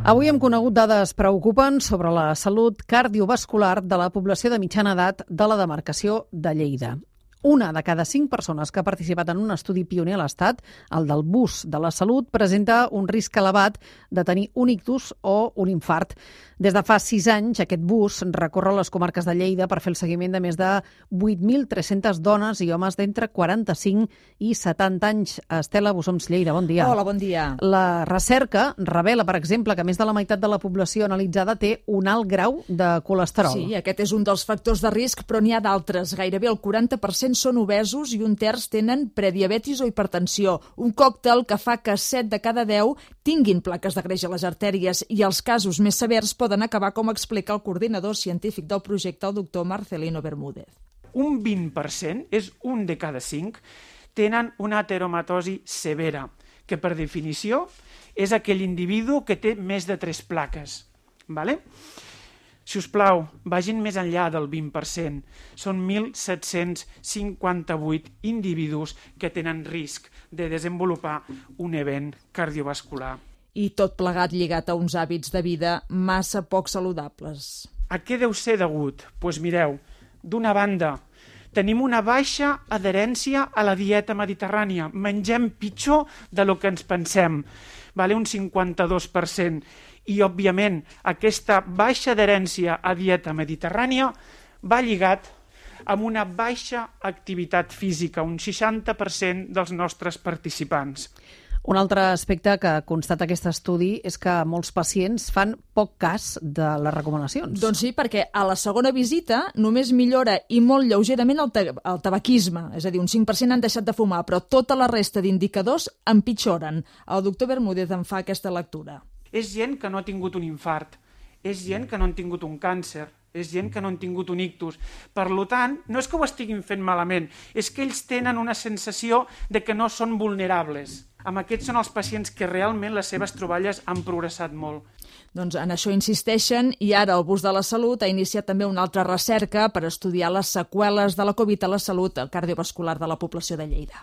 Avui hem conegut dades preocupants sobre la salut cardiovascular de la població de mitjana edat de la demarcació de Lleida. Una de cada 5 persones que ha participat en un estudi pioner a l'Estat, el del BUS de la Salut, presenta un risc elevat de tenir un ictus o un infart. Des de fa 6 anys, aquest BUS recorre les comarques de Lleida per fer el seguiment de més de 8.300 dones i homes d'entre 45 i 70 anys. Estela Bussoms, Lleida, bon dia. Hola, bon dia. La recerca revela, per exemple, que més de la meitat de la població analitzada té un alt grau de colesterol. Sí, aquest és un dels factors de risc, però n'hi ha d'altres. Gairebé el 40% són obesos i un terç tenen prediabetis o hipertensió. Un còctel que fa que 7 de cada 10 tinguin plaques de greix a les artèries i els casos més severs poden acabar, com explica el coordinador científic del projecte, el doctor Marcelino Bermúdez. Un 20%, és un de cada 5, tenen una ateromatosi severa, que per definició és aquell individu que té més de 3 plaques. ¿Vale? Si us plau, vagin més enllà del 20%. Són 1.758 individus que tenen risc de desenvolupar un event cardiovascular. I tot plegat lligat a uns hàbits de vida massa poc saludables. A què deu ser degut? Doncs mireu, d'una banda, tenim una baixa adherència a la dieta mediterrània. Mengem pitjor del que ens pensem, un 52%. I, òbviament, aquesta baixa adherència a dieta mediterrània va lligat amb una baixa activitat física, un 60% dels nostres participants. Un altre aspecte que constata aquest estudi és que molts pacients fan poc cas de les recomanacions. Doncs sí, perquè a la segona visita només millora i molt lleugerament el tabaquisme, és a dir, un 5% han deixat de fumar, però tota la resta d'indicadors empitjoren. El doctor Bermúdez en fa aquesta lectura. És gent que no ha tingut un infart, és gent que no han tingut un càncer, és gent que no han tingut un ictus. Per tant, no és que ho estiguin fent malament, és que ells tenen una sensació de que no són vulnerables. Amb aquests són els pacients que realment les seves troballes han progressat molt. Doncs en això insisteixen i ara el BUS de la Salut ha iniciat també una altra recerca per estudiar les seqüeles de la Covid a la salut cardiovascular de la població de Lleida.